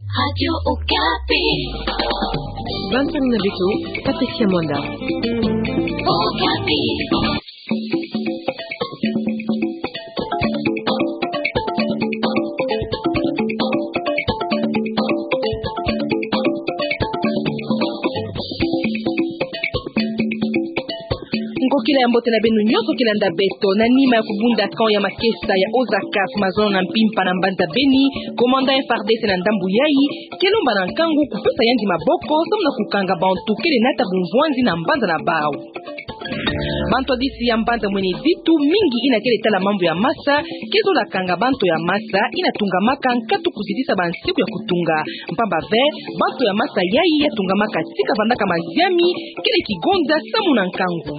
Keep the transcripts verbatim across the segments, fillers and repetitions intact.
Radio Okapi. Bantu na beto, Patricia Mwanda. Okapi. Ngokila ya mbote na beno nyonso ke landa beto. Na nima ya kubunda camp ya makesa ya Ozakaf mazono na Mpimpa na mbanza Beni, commandant F R D C na ndambu yayi ke lomba na nkangu kupesa yandi maboko samu na kukanga bantu kele nata bumvwanzi na mbanza na bau. Bantwadisi ya mbanza Mwene Ditu mingi ina kele tala mambu ya masa ke zola kanga bantu ya masa ina tungamaka nkatu kuzitisa bansiku ya kutunga. Mpamba ve, bantu ya masa yayi ya tungamaka tika vandaka maziami kele kigonza samu na nkangu.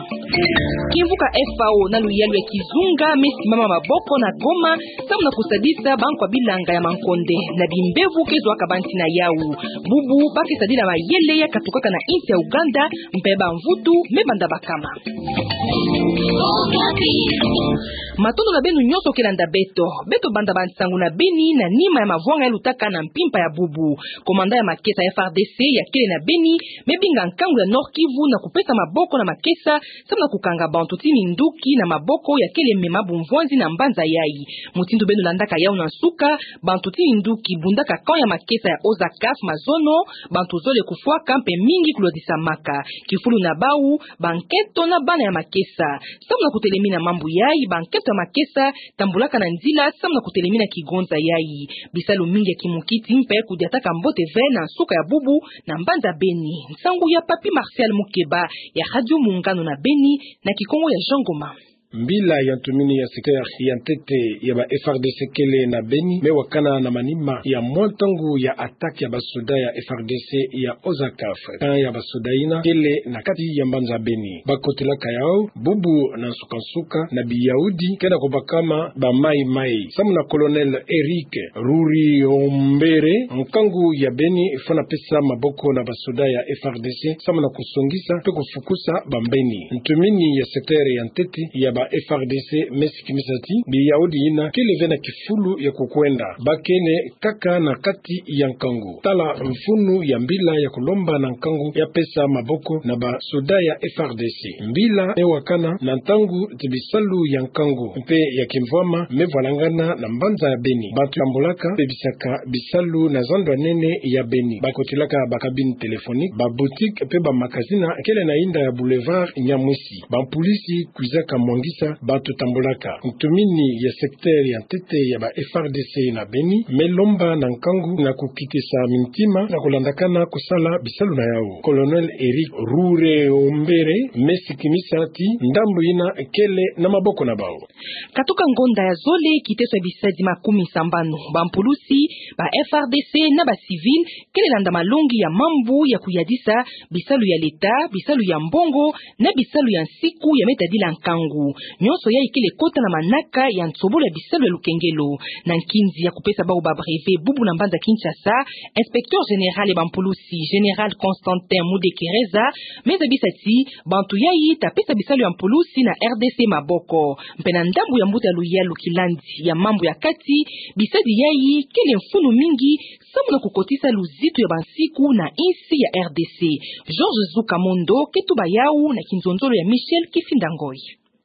Kimvuka F A O na luyalu ya kizunga me simama maboko na Goma samu na kusadisa bankwa bilanga ya mankonde na bimbevo ke zwaka banti na yau. Bubu ba ke sadila mayele ya katukaka na insi ya Uganda, mpe bamvutu me banda bakama. Matondo na beno nyonso ke landa beto. Beto banda bansangu na Beni na nima ya mavwanga ya lutaka na Mpimpa ya bubu. Commandant ya makesa ya F R D C ya kele na Beni me binga nkangu ya Nord-Kivu na kupesa maboko na makesa samu na kukanga bantu ti minduki na maboko ya kele mema bumvwanzi na mbanza yayi. Mutindu beno landaka yau na nsuka, bantu ti minduki bundaka camp ya makesa ya Ozakaf mazono, bantu zole kufwaka mpe mingi kulodisamaka. Kifulu na bau, bankento na bana ya makesa. Samu na kutelemina mambu yayi, bankento ya makesa tambulaka na nzila samu na kutelemina kigonza yayi. Bisalu mingi ya kimukiti mpe kudiataka mbote ve na nsuka ya bubu na mbanza Beni. Nsangu ya Papy Martial Mukeba ya Radio Muungano na Beni, na Kikongo ya Jean Ngoma. Mbila ya ntumini ya secteur ya ntete ya ba F R D C kele na Beni me wakana na manima ya mwa ntangu ya attaque ya basoda ya F R D C ya Ozakaf. Camp ya basoda yina kele na kati ya mbanza Beni. Ba kotelaka yau bubu na nsuka-nsuka na biyaudi ke na kubakama ba Mai-Mai. Samu na Colonel Eric Ruriombere, nkangu ya Beni fwana pesa maboko na basoda ya F R D C samu na kusongisa mpe kufukusa bambeni. Ntumini ya secteur ya ntete ya ba F R D C me sikimisa ti biyaudi yina kele ve na kifulu ya kukwenda. Ba kele kaka na kati ya nkangu. Tala mfunu ya mbila ya kulomba na nkangu ya pesa maboko na basoda ya F R D C. Mbila me wakana na ntangu ti bisalu ya nkangu mpe ya kimvwama me vwalangana na mbanza ya Beni. Bantu tambulaka mpe bisaka bisalu na zando ya nene ya Beni. Ba kotelaka ba cabine téléphonique, ba boutique mpe ba magazine kele na yinda ya boulevard Nyamwisi. Bampulisi kwizaka mwangisa bantu tambulaka. Ntumini ya secteur ya ntete ya ba F R D C na Beni me lomba na nkangu na kukitisa mintima na kulandakana kusala bisalu na yau. Colonel Eric Ruriombere me sikimisa ti ndambu yina kele na maboko na bau. Katuka ngonda ya zole, kiteso ya bisadi makumi sambanu, bampulusi, ba F R D C na ba civil kele landa malongi ya mambu ya kuyadisa bisalu ya leta, bisalu ya mbongo, na bisalu ya nsiku ya me tadila nkangu. Nyonso yayi kele kota na manaka ya nsobolo ya bisalu ya lukengelo. Na nkinzi ya kupesa bau ba brevet bubu na mbanza Kinshasa, inspecteur général ya bampulusi, Général Constantin Mudekereza, me zabisa ti bantu yayi ta pesa bisalu ya mpulusi na R D C maboko. Mpe na ndambu ya mbuta ya luyalu kilandi ya mambu ya kati, bisadi yayi kele mfunu mingi samu na kukotisa luzitu ya bansiku na insi ya R D C. Georges Zukamondo ke tuba yau na kinzonzolo ya Michel Kifinda Ngoy.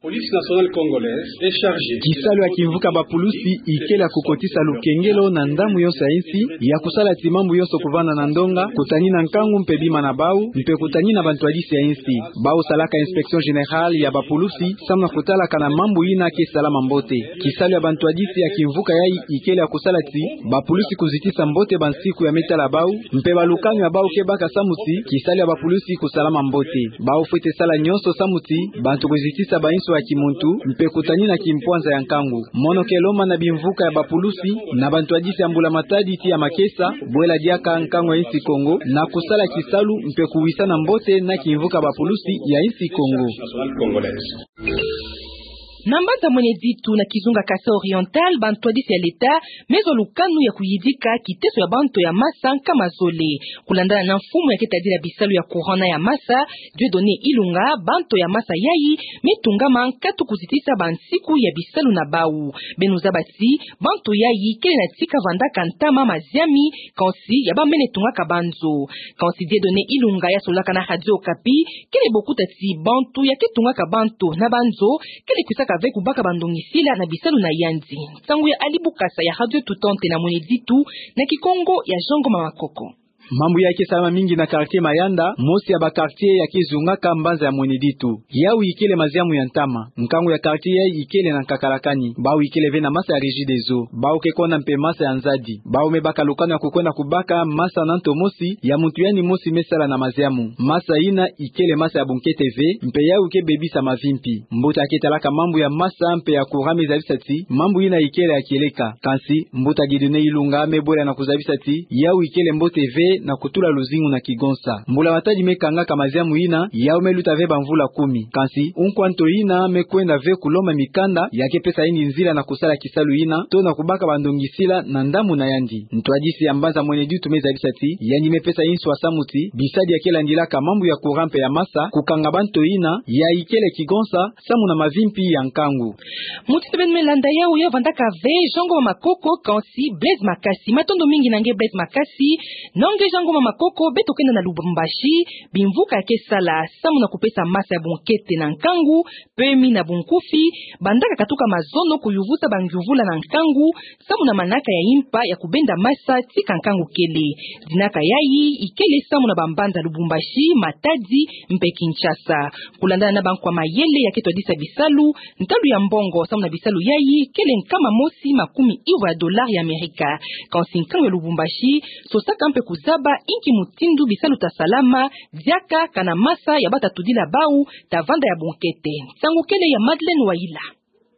Police nationale congolaise est chargée. Kisalu ya kimvuka bapulusi ikele ya kukotisa lukengelo na ndambu yonso ya insi, ya kusala ti mambu yonso kuvanda na ndonga, kutani na nkangu mpe bima na bau, mpe kutani na bantwadisi ya insi. Bau salaka inspection générale ya bapulusi, samu na kutalaka na mambu yina ke salama mbote. Kisalu ya bantwadisi ya kimvuka yayi ikele ya kusala ti bapulusi kuzitisa mbote bansiku ya me tala bau, mpe balukanu ya bau ke baka samu ti kisalu ya bapulusi kusalama mbote. Bau fwete sala nyonso samu ti bantu kuzitisa bainso ya kimuntu, mpe kutani na kimpwanza ya nkangu. Mono ke lomba na bimvuka ya bapulusi, na bantwadisi ya mbula matadi ti ya makesa, bwela diaka nkangu ya insi Kongo, na kusala kisalu mpe kuwisana mbote na kimvuka bapulusi ya insi Kongo. Na mbanza Mwene Ditu na kizunga Kasaï Oriental, bantwadisi ya leta me zwa lukanu ya kuyidika kiteso ya banto ya masa nkama zole. Kulandana na mfumu ya ke tadila bisalu ya courant na ya masa, Dieudonné Ilunga, banto ya masa yayi me tungama nkatu kuzitisa bansiku ya bisalu na bau. Beno zaba ti banto yayi kele na tika vandaka ntama maziami, kansi ya bamene tungaka banzo. Kansi Dieudonné Ilunga ya solaka na Radio Okapi, kele bokuta ti banto ya ke tungaka banto na banzo kele kwisaka ve kubaka bandongisila na bisalu na yandi. Nsangu ya Ali Bukasa ya Radio Tout Antenne na Mwene Ditu, na Kikongo ya Jean Ngoma Makoko. Mambu ya ke salama mingi na quartier Mayanda, mosi ya ba quartier ya ke zungaka mbanza ya Mwene Ditu. Yawu ikele maziamu ya ntama. Nkangu ya quartier yayi ikele na nkakalakani. Bau ikele ve na masa ya Regideso. Bau ke konda mpe masa ya nzadi. Bau me baka lukanu ya kukwenda kubaka masa na nto mosi ya muntu yandi mosi me sala na maziamu. Masa yina ikele masa ya bunkete ve, mpe yawu ke bebisa mavimpi. Mbuta ya ke talaka mambu ya masa mpe ya courant me zabisa ti mambu yina ikele ya kieleka. Kansi mbuta Dieudonné Ilunga me bwela na kuzabisa ti yawu ikele mbote ve na kutula luzingu na kigonsa. Mbula Matadi me kangaka maziamu yina, yawu me luta ve bamvula kumi. Kansi unkwa nto yina me kwenda ve kulomba mikanda ya ke pesa yandi nzila na kusala kisalu yina, to na kubaka bandongisila na ndambu na yandi. Ntwadisi ya mbanza Mwene Ditu me zabisa ti yandi me pesa inswa samu ti bisadi ya ke landilaka mambu ya courant mpe ya masa kukanga ba nto yina ya ikele kigonsa samu na mavimpi ya nkangu. Muti tebeni me landa yawu ya vandaka ve Jean Ngoma Makoko, kansi Blaise Makasi. Matondo mingi na nge Blaise Makasi. Na nge Jean Ngoma Makoko, beto kenda na Lubumbashi, bimvuka ya ke sala samu na kupesa masa ya bunkete na nkangu, pemi na bunkufi, bandaka katuka mazono kuyuvusa bangyuvula na nkangu, samu na manaka ya impa ya kubenda masa tika nkangu kele. Dinaka yayi ikele samu na bambanza Lubumbashi, Matadi, mpe Kinshasa. Kulandana na bankwa mayele ya ke twadisa bisalu, ntalu ya mbongo samu na bisalu yayi kele nkama mosi makumi ivwa ya dollar ya Amerika. Kansi nkangu ya Lubumbashi sosaka mpe kuzaba inki mutindu bisalu ta salama diaka kana masa ya bata tudila bau ta vanda ya bunkete. Nsangu kele ya Madeleine Wayila.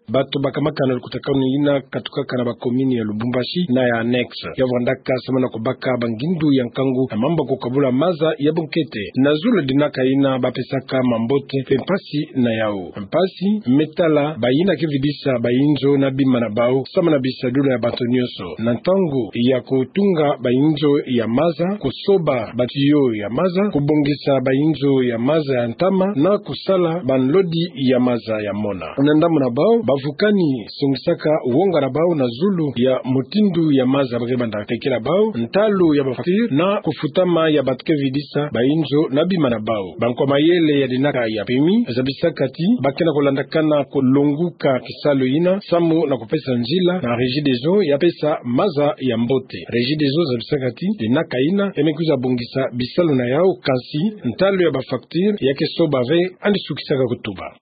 Bato bakamakana lukutakanu yina katukaka na bakomini ya Lubumbashi na ya annexe, ya vandaka samu na kubaka bangindu ya nkangu na mambu ya kukabula masa ya bunkete. Na zulu dinaka yina bapesaka mambote mpe mpasi na yawu. Mpasi me tala bayina ke vidisa bayinzo na bima na bau samu na bisadulu ya bato nyonso. Na ntangu ya kutunga bayinzo ya masa, kusoba batiyo ya masa, kubongisa bayinzo ya masa ya ntama, na kusala banlodi ya masa ya mona. Na ndambu na bau, bavukani songisaka wonga na bau na zulu ya mutindu ya masa ba ke banda tekila bau, ntalu ya bafacture, na kufutama ya bato ke vidisa bayinzo na bima na bau. Bankwa mayele ya dinaka ya pemi zabisaka ti ba ke na kulandakana kulonguka kisalu yina samu na kupesa nzila na Regideso ya pesa masa ya mbote. Regideso zabisaka ti dinaka yina ya me kwiza bongisa bisalu na yawu, kansi ntalu ya bafacture ya ke soba ve, yandi sukisaka kutuba.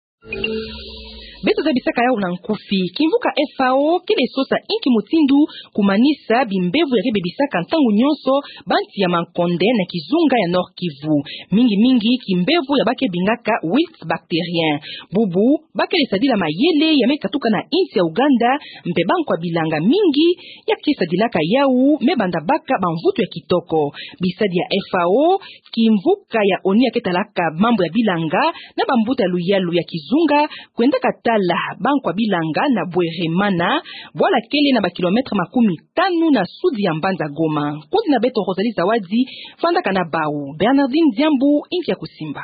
Beto zabisaka yawu na nkufi. Kimvuka F A O kele sosa inki mutindu kumanisa bimbevo ya ke bebisaka ntangu nyonso bansi ya mankonde na kizunga ya Nord-Kivu, mingi mingi kimbevo ya ba ke bingaka wilt bactérien. Bubu ba kele sadila mayele ya me katuka na insi ya Uganda, mpe bankwa bilanga mingi ya ke sadilaka yawu me banda baka bamvutu ya kitoko. Bisadi ya F A O, kimvuka ya ONU ya ke talaka mambu ya bilanga, na bambuta ya luyalu ya kizunga kwendaka tala bankwa bilanga na Bweremana, bwala kele na bakilometre makumi tanu na sudi ya mbanza Goma. Nkuzi na beto Rosalie Zawadi vandaka na bau. Bernardine Diambu, inki ya kusimba.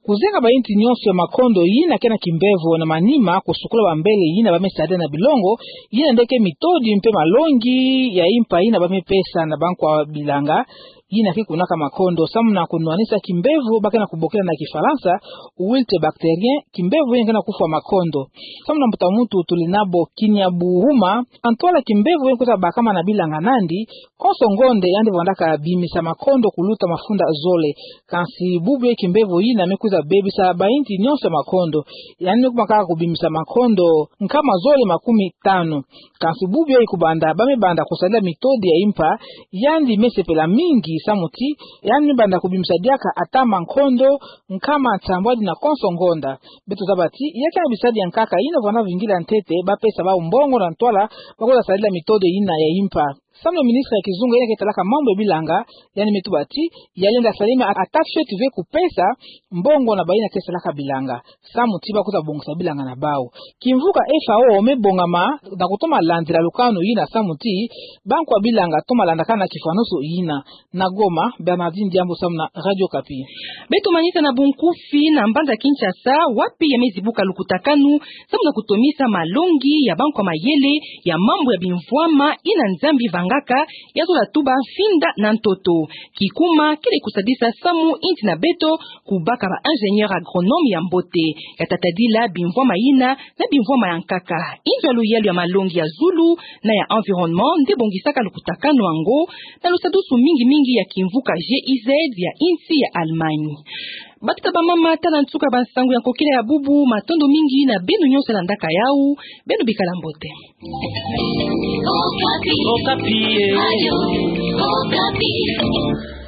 Kuzenga bainsi nyonso ya makondo yina ke na kimbevo na manima kusukula bambele yina ba me sadila na bilongo, yina nde ke mitodi mpe malongi ya impa yina ba me pesa na bankwa bilanga yina ke kunaka makondo samu na kunwanisa kimbevo ba ke na kubokila na Kifalansa wilt bactérien, kimbevo yina ke na kufwa makondo. Samu na mbuta muntu Tulinabo Kinyabuhuma, na ntwala kimbevo yina kwiza bakama na bilanga nandi, konso ngonde yandi vandaka bimisa makondo kuluta mafunda zole. Kansi bubu ye kimbevo yina me kwiza bebisa bainsi nyonso ya makondo. Yandi me kuma kaka kubimisa makondo nkama zole makumi tanu. Kansi bubu ye kubanda, ba me banda kusadila mitodi ya impa, yandi me sepela mingi samu ti yandi me banda kubimisa diaka ata makondo nkama nsambwadi na konso ngonda. Beto zaba ti ya ke na bisadi ya nkaka yina vana vingila ntete ba pesa bau mbongo na ntwala ba kwiza sadila mitodi yina ya impa. Samu na ministre ya kizunga yina ke talaka mambu ya bilanga, yandi me tuba ti, ya lenda salama ata fioti ve kupesa mbongo na bayina ke salaka bilanga. Samu ti bakwiza bongisa bilanga na bau. Kimvuka F A O me bongama, na kutoma landila lukanu yina samu ti, bankwa bilanga toma landakana kifwanusu yina. Na Goma, Bernardine Diambu samu na Radio Okapi. Beto manisa na bunkufi na mbanza Kinshasa, wapi ya me zibuka lukutakanu, samu na kutomisa malongi ya bankwa mayele, ya mambu ya bimvwama, yina Nzambi vangaka, ya zola tuba mfinda na ntoto. Kikuma, kele kusadisa samu inti na beto, kubaka ba ingénieur agronome ya mbote. Ya tatadila bimvwama yina, na bimvwama ya nkaka. Inzo ya luyalu ya malongi ya zulu, na ya environnement, nde bongisaka lukutakanu yango, na lusadusu mingi mingi ya kimvuka G I Z ya insi ya Allemagne. Batata bamama, tala nsuka bansangu ya nkokila ya bubu, matondo mingi na beno nyonso landaka yau, beno bikala mbote. Okapi. Okapi, eh. Radio Okapi.